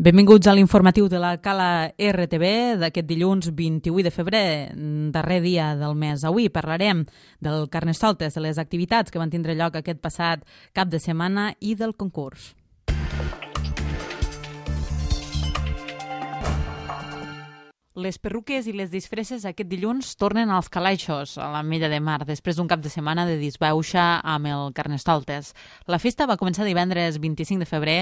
Benvinguts a l'informatiu de la Cala RTV d'aquest dilluns 28 de febrer, darrer dia del mes. Avui parlarem del Carnestoltes, de les activitats que van tindre lloc aquest passat cap de setmana i del concurs. Les perruques i les disfresses aquest dilluns tornen als calaixos a l'Ametlla de Mar, després d'un cap de setmana de disbauxa amb el Carnestoltes. La festa va començar divendres 25 de febrer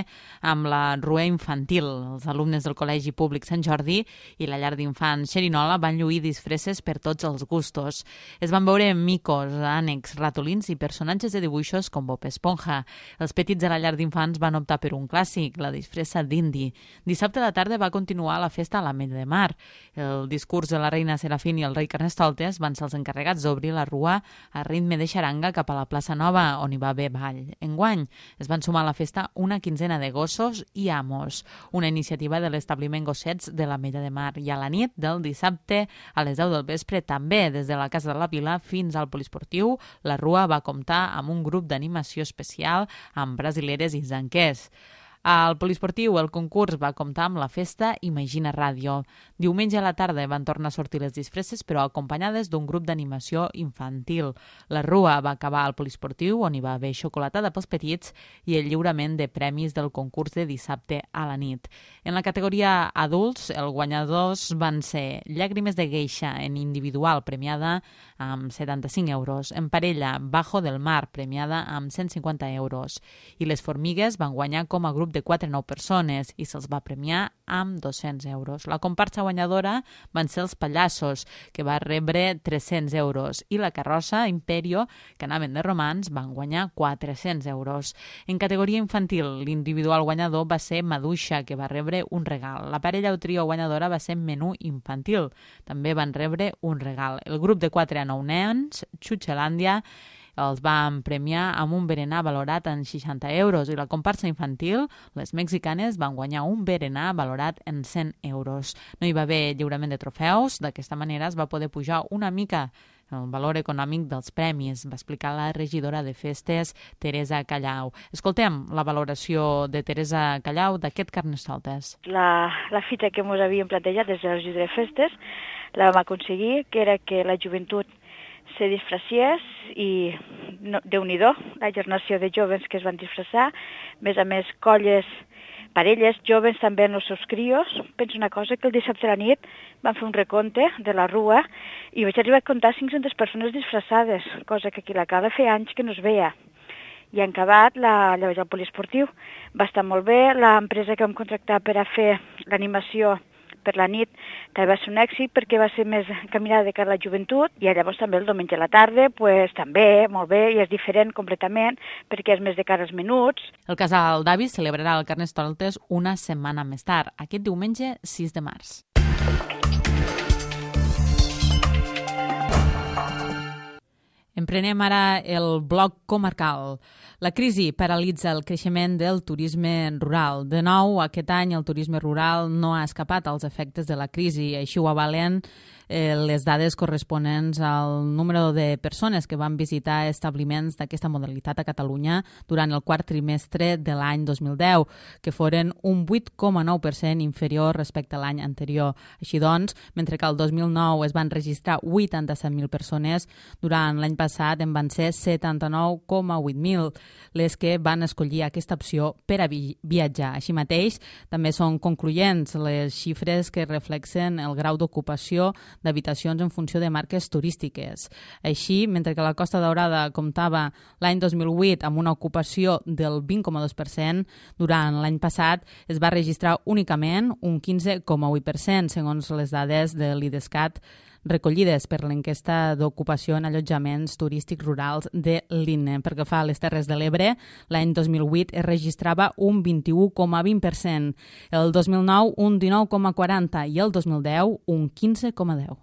amb la rua infantil. Els alumnes del Col·legi Públic Sant Jordi i la llar d'infants Xerinola van lluir disfresses per tots els gustos. Es van veure micos, ànecs, ratolins i personatges de dibuixos com Bob Esponja. Els petits de la llar d'infants van optar per un clàssic, la disfressa d'indi. Dissabte a la tarda va continuar la festa a l'Ametlla de Mar. El discurs de la reina Serafín i el rei Carnestoltes van ser els encarregats d'obrir la rua a ritme de xaranga cap a la plaça Nova, on hi va haver ball. Enguany es van sumar a la festa una quinzena de gossos i amos, una iniciativa de l'establiment Gossets de l'Ametlla de Mar. I a la nit del dissabte, a les 10 del vespre, també des de la Casa de la Vila fins al Poliesportiu, la rua va comptar amb un grup d'animació especial amb brasileres i zanquers. Al Poliesportiu el concurs va comptar amb la festa Imagina Ràdio. Diumenge a la tarda van tornar a sortir les disfresses, però acompanyades d'un grup d'animació infantil. La rua va acabar al Poliesportiu, on hi va haver xocolatada pels petits i el lliurament de premis del concurs de dissabte a la nit. En la categoria adults, els guanyadors van ser Llàgrimes de Geisha en individual, premiada amb 75 euros. En parella, Bajo del Mar, premiada amb 150 euros. I les Formigues van guanyar com a grup de 4 a 9 persones i se'ls va premiar amb 200 euros. La comparsa guanyadora van ser els Pallassos, que va rebre 300 euros, i la carrossa Imperio, que anaven de romans, van guanyar 400 euros. En categoria infantil, l'individual guanyador va ser Maduixa, que va rebre un regal. La parella o trio guanyadora va ser Menú Infantil. També van rebre un regal. El grup de 4 a 9 nens, Xuxelàndia, els van premiar amb un berenar valorat en 60 euros i la comparsa infantil, les mexicanes, van guanyar un berenar valorat en 100 euros. No hi va haver lliurament de trofeus, d'aquesta manera es va poder pujar una mica el valor econòmic dels premis, va explicar la regidora de festes, Teresa Callau. Escoltem la valoració de Teresa Callau d'aquest Carnestoltes. La fita que ens havíem plantejat des de la regidora de festes la vam aconseguir, que era que la joventut se disfressiés i Déu-n'hi-do, la generació de joves que es van disfressar, a més colles, parelles, joves també en els seus crios. Penso una cosa, que el dissabte a la nit van fer un recompte de la rua i vaig arribar a comptar 500 persones disfressades, cosa que aquí a la Cala feia anys que no es veia. I en acabat, llavors el poliesportiu va estar molt bé, l'empresa que vam contractar per a fer l'animació per la nit també va ser un èxit perquè va ser més caminada de cara a la joventut i llavors també el diumenge a la tarda també, molt bé, i és diferent completament perquè és més de cara als menuts. El casal d'avis celebrarà el Carnestoltes una setmana més tard, aquest diumenge 6 de març. Emprenem ara el bloc comarcal. La crisi paralitza el creixement del turisme rural. De nou, aquest any el turisme rural no ha escapat als efectes de la crisi. Així ho avalen les dades corresponents al número de persones que van visitar establiments d'aquesta modalitat a Catalunya durant el quart trimestre de l'any 2010, que foren un 8,9% inferior respecte a l'any anterior. Així doncs, mentre que el 2009 es van registrar 87.000 persones, durant l'any passat en van ser 79,8.000 les que van escollir aquesta opció per a viatjar. Així mateix, també són concloents les xifres que reflexen el grau d'ocupació d'habitacions en funció de marques turístiques. Així, mentre que la Costa Daurada comptava l'any 2008 amb una ocupació del 20,2%, durant l'any passat es va registrar únicament un 15,8%, segons les dades de l'IDESCAT recollides per l'enquesta d'ocupació en allotjaments turístics rurals de l'INE. Pel que fa a les Terres de l'Ebre, l'any 2008 es registrava un 21,20%, el 2009 un 19,40% i el 2010 un 15,10%.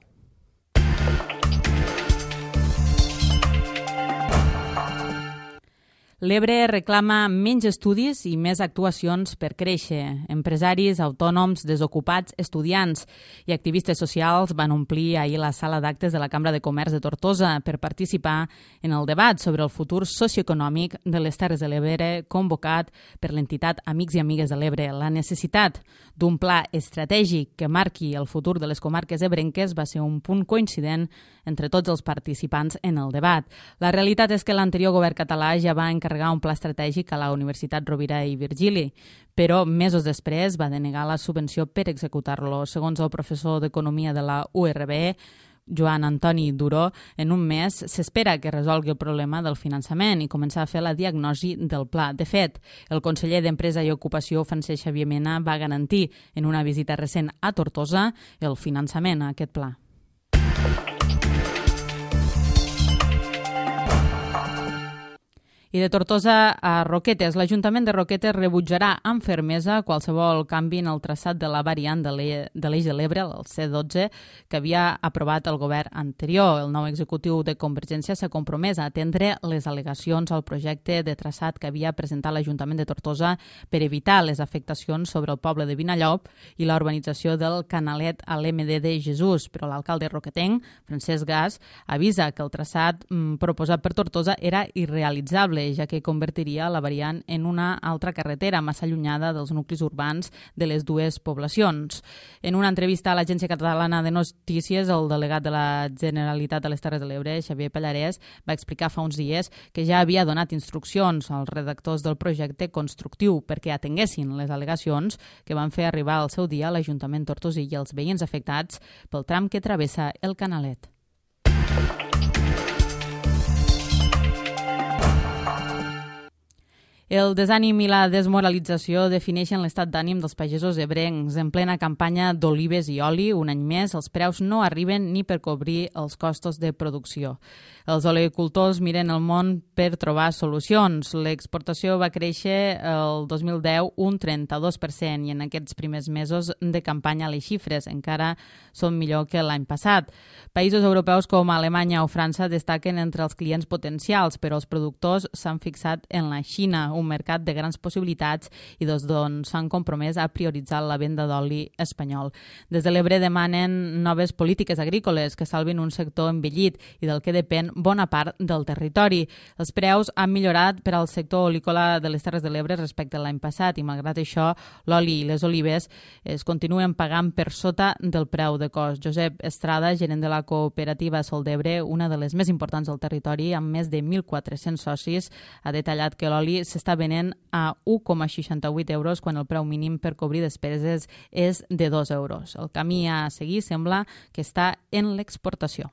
L'Ebre reclama menys estudis i més actuacions per créixer. Empresaris, autònoms, desocupats, estudiants i activistes socials van omplir ahir la sala d'actes de la Cambra de Comerç de Tortosa per participar en el debat sobre el futur socioeconòmic de les Terres de l'Ebre convocat per l'entitat Amics i Amigues de l'Ebre. La necessitat d'un pla estratègic que marqui el futur de les comarques ebrenques va ser un punt coincident entre tots els participants en el debat. La realitat és que l'anterior govern català ja va encarregar un pla estratègic a la Universitat Rovira i Virgili, però mesos després va denegar la subvenció per executar-lo. Segons el professor d'Economia de la URB, Joan Antoni Duró, en un mes s'espera que resolgui el problema del finançament i començar a fer la diagnosi del pla. De fet, el conseller d'Empresa i Ocupació, Francesc Xavier Mena, va garantir en una visita recent a Tortosa el finançament a aquest pla. I de Tortosa a Roquetes. L'Ajuntament de Roquetes rebutjarà amb fermesa qualsevol canvi en el traçat de la variant de l'Eix de l'Ebre, el C12, que havia aprovat el govern anterior. El nou executiu de Convergència s'ha compromès a atendre les al·legacions al projecte de traçat que havia presentat l'Ajuntament de Tortosa per evitar les afectacions sobre el poble de Vinallop i la urbanització del Canalet a l'MD de Jesús. Però l'alcalde roquetenc, Francesc Gas, avisa que el traçat proposat per Tortosa era irrealitzable, ja que convertiria la variant en una altra carretera massa allunyada dels nuclis urbans de les dues poblacions. En una entrevista a l'Agència Catalana de Notícies, el delegat de la Generalitat de les Terres de l'Ebre, Xavier Pallarès, va explicar fa uns dies que ja havia donat instruccions als redactors del projecte constructiu perquè atenguessin les al·legacions que van fer arribar al seu dia a l'Ajuntament tortosí i els veïns afectats pel tram que travessa el Canalet. El desànim i la desmoralització defineixen l'estat d'ànim dels pagesos ebrencs. En plena campanya d'olives i oli, un any més, els preus no arriben ni per cobrir els costos de producció. Els oleocultors miren el món per trobar solucions. L'exportació va créixer el 2010 un 32% i en aquests primers mesos de campanya les xifres encara són millor que l'any passat. Països europeus com Alemanya o França destaquen entre els clients potencials, però els productors s'han fixat en la Xina, un mercat de grans possibilitats i des d'on s'han compromès a prioritzar la venda d'oli espanyol. Des de l'Ebre demanen noves polítiques agrícoles que salvin un sector envellit i del que depèn bona part del territori. Els preus han millorat per al sector olícola de les Terres de l'Ebre respecte a l'any passat i, malgrat això, l'oli i les olives es continuen pagant per sota del preu de cost. Josep Estrada, gerent de la cooperativa Sol d'Ebre, una de les més importants del territori, amb més de 1.400 socis, ha detallat que l'oli s'està venent a 1,68 euros quan el preu mínim per cobrir despeses és de 2 euros. El camí a seguir sembla que està en l'exportació.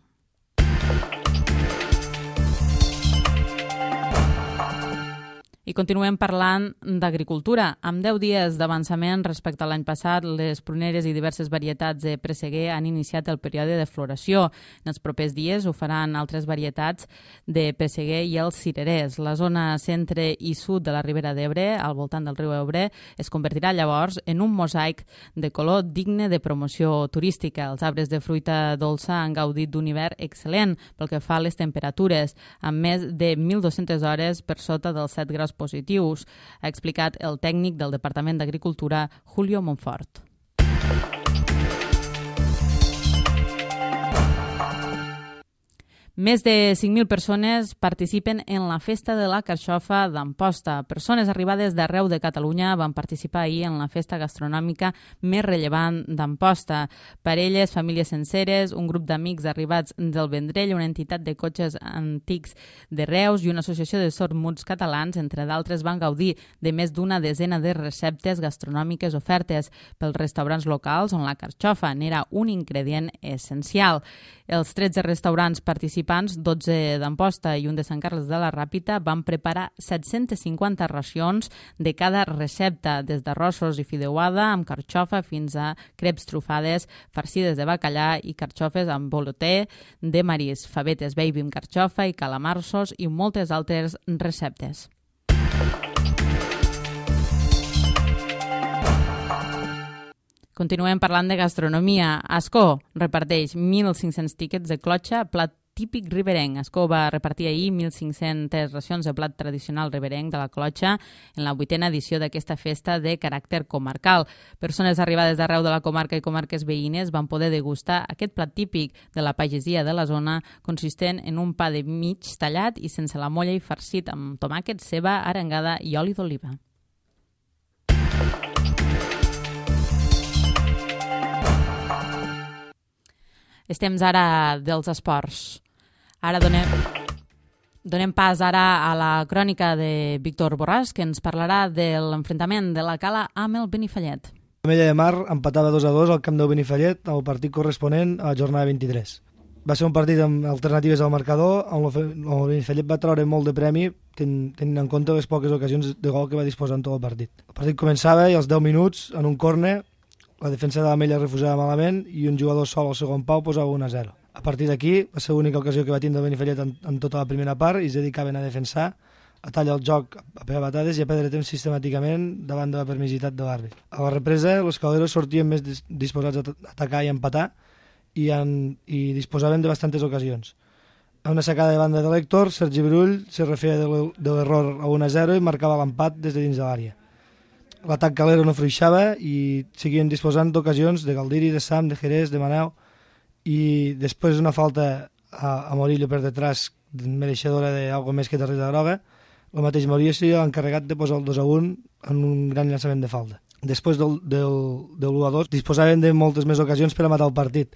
I continuem parlant d'agricultura. Amb 10 dies d'avançament respecte a l'any passat, les pruneres i diverses varietats de presseguer han iniciat el període de floració. En els propers dies ho faran altres varietats de presseguer i els cirerers. La zona centre i sud de la Ribera d'Ebre, al voltant del riu Ebre, es convertirà llavors en un mosaic de color digne de promoció turística. Els arbres de fruita dolça han gaudit d'un hivern excel·lent pel que fa a les temperatures, amb més de 1.200 hores per sota dels 7 graus positius, ha explicat el tècnic del Departament d'Agricultura, Julio Monfort. Més de 5.000 persones participen en la Festa de la Carxofa d'Amposta. Persones arribades d'arreu de Catalunya van participar ahir en la festa gastronòmica més rellevant d'Amposta. Parelles, famílies senceres, un grup d'amics arribats del Vendrell, una entitat de cotxes antics de Reus i una associació de sords-muts catalans, entre d'altres, van gaudir de més d'una desena de receptes gastronòmiques ofertes pels restaurants locals on la carxofa n'era un ingredient essencial. Els 13 restaurants participants, 12 d'Amposta i un de Sant Carles de la Ràpita, van preparar 750 racions de cada recepta, des d'arrossos i fideuada amb carxofa fins a creps trufades farcides de bacallà i carxofes amb boloter de marisc, favetes baby amb carxofa i calamarsos i moltes altres receptes. Continuem parlant de gastronomia. Ascó reparteix 1.500 tíquets de clotxa, plat típic riberenc. Ascó va repartir ahir 1.500 racions de plat tradicional riberenc de la Clotxa en la 8a edició d'aquesta festa de caràcter comarcal. Persones arribades d'arreu de la comarca i comarques veïnes van poder degustar aquest plat típic de la pagesia de la zona, consistent en un pa de mig tallat i sense la molla i farcit amb tomàquet, ceba, arengada i oli d'oliva. És temps ara dels esports. Ara donem pas ara a la crònica de Víctor Borràs, que ens parlarà de l'enfrontament de la Cala amb el Benifallet. L'Ametlla de Mar empatava 2-2 al camp del Benifallet al partit corresponent a la jornada 23. Va ser un partit amb alternatives al marcador, on el Benifallet va treure molt de premi, tenint en compte les poques ocasions de gol que va disposar en tot el partit. El partit començava i als 10 minuts, en un córner, la defensa de l'Ametlla refusava malament i un jugador sol al segon pau posava 1-0. A partir d'aquí va ser l'única ocasió que va tindre el Benifallet en tota la primera part i es dedicaven a defensar, a tallar el joc, a pegar batades i a perdre temps sistemàticament davant de la permisitat de l'àrbit. A la represa, els caleros sortien més disposats a atacar i a empatar i disposaven de bastantes ocasions. A una sacada de banda de l'Héctor, Sergi Brull se refeia de l'error a 1-0 i marcava l'empat des de dins de l'àrea. L'atac calero no fruixava i seguien disposant d'ocasions de Galdiri, de Sam, de Jerez, de Manel, i després una falta a Morillo per detrás, mereixedora d'algo més que targeta groga, el mateix Morillo s'ha encarregat de posar el 2-1 en un gran llançament de falta. Després del 1-2 disposaven de moltes més ocasions per a matar el partit.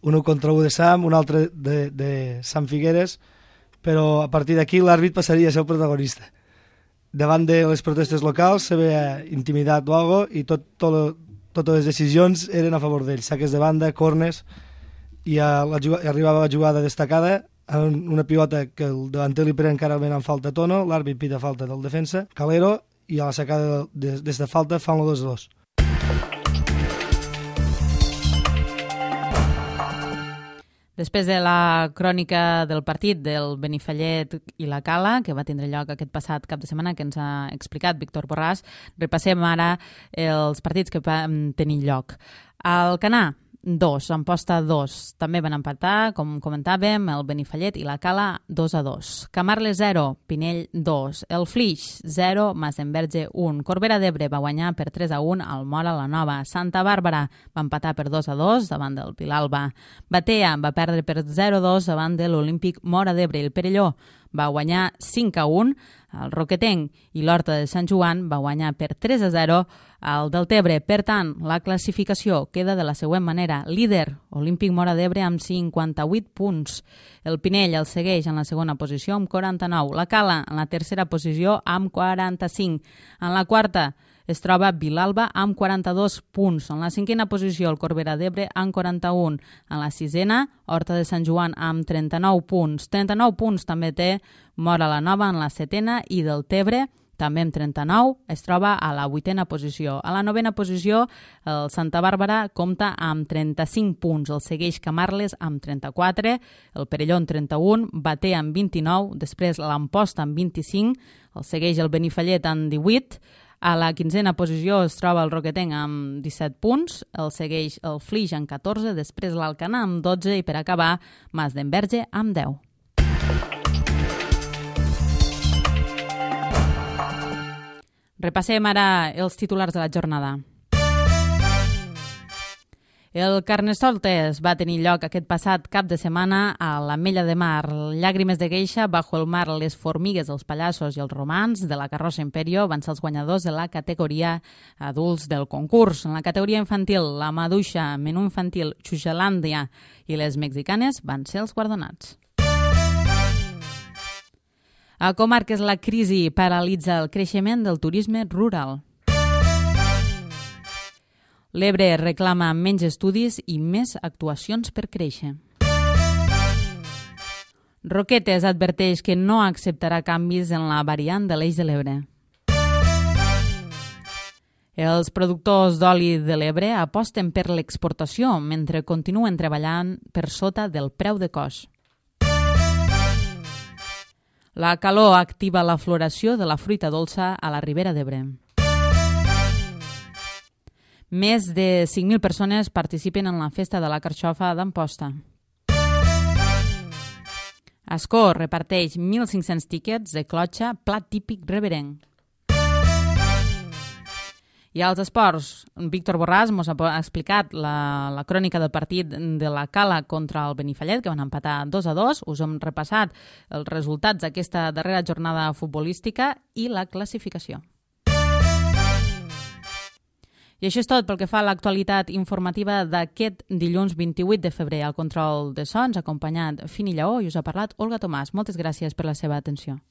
Un 1 contra 1 de Sam, un altre de Sam Figueres, però a partir d'aquí l'àrbit passaria a ser el protagonista. Davant de les protestes locals se veia intimidat o algo i totes les decisions eren a favor d'ells. Saques de banda, corners, i arribava la jugada destacada en una pilota que el davanter li pren clarament en falta Tono, l'àrbit pita falta del defensa, Calero, i a la sacada des de falta fan el 2-2. Després de la crònica del partit del Benifallet i la Cala, que va tindre lloc aquest passat cap de setmana, que ens ha explicat Víctor Borràs, repassem ara els partits que van tenir lloc. Al Canà, 2, Amposta 2. També van empatar, com comentàvem, el Benifallet i la Cala 2-2. Camarles 0, Pinell 2. El Flix 0, Masdenverge 1. Corbera d'Ebre va guanyar per 3-1 al Móra la Nova. Santa Bàrbara va empatar per 2-2 davant del Vilalba. Batea va perdre per 0-2 davant de l'Olímpic Móra d'Ebre. El Perelló va guanyar 5-1. El Roquetenc i l'Horta de Sant Joan va guanyar per 3-0 al Deltebre. Per tant, la classificació queda de la següent manera. Líder, Olímpic Móra d'Ebre amb 58 punts. El Pinell el segueix en la segona posició amb 49. La Cala en la tercera posició amb 45. En la quarta es troba Vilalba amb 42 punts. En la cinquena posició, el Corbera d'Ebre amb 41. En la sisena, Horta de Sant Joan amb 39 punts. 39 punts també té Móra la Nova en la setena i Deltebre, també amb 39, es troba a la 8a posició. A la 9a posició, el Santa Bàrbara compta amb 35 punts. El segueix Camarles amb 34, el Perelló amb 31, Batea amb 29, després l'Amposta amb 25, el segueix el Benifallet amb 18, a la 15a posició es troba el Roquetenc amb 17 punts, el segueix el Flix amb 14, després l'Alcanar amb 12 i per acabar Masdenverge amb 10. Repassem ara els titulars de la jornada. El Carnestoltes va tenir lloc aquest passat cap de setmana a l'Ametlla de Mar. Llàgrimes de Geisha, Bajo el Mar, Les Formigues, Els Pallassos i els Romans de la Carrossa Imperio van ser els guanyadors de la categoria adults del concurs. En la categoria infantil, la Maduixa, Menú Infantil, Xuxalàndia i les Mexicanes van ser els guardonats. A comarques, la crisi paralitza el creixement del turisme rural. L'Ebre reclama menys estudis i més actuacions per créixer. Roquetes adverteix que no acceptarà canvis en la variant de l'Eix de l'Ebre. Els productors d'oli de l'Ebre aposten per l'exportació mentre continuen treballant per sota del preu de cost. La calor activa la floració de la fruita dolça a la Ribera d'Ebre. Més de 5.000 persones participen en la festa de la carxofa d'Amposta. Ascó reparteix 1.500 tíquets de clotxa plat típic reverenc. I als esports, Víctor Borràs mos ha explicat la crònica del partit de la Cala contra el Benifallet, que van empatar 2-2. Us hem repassat els resultats d'aquesta darrera jornada futbolística i la classificació. I això és tot pel que fa a l'actualitat informativa d'aquest dilluns 28 de febrer. Al control de sons, acompanyat Fini Lleó, i us ha parlat Olga Tomàs. Moltes gràcies per la seva atenció.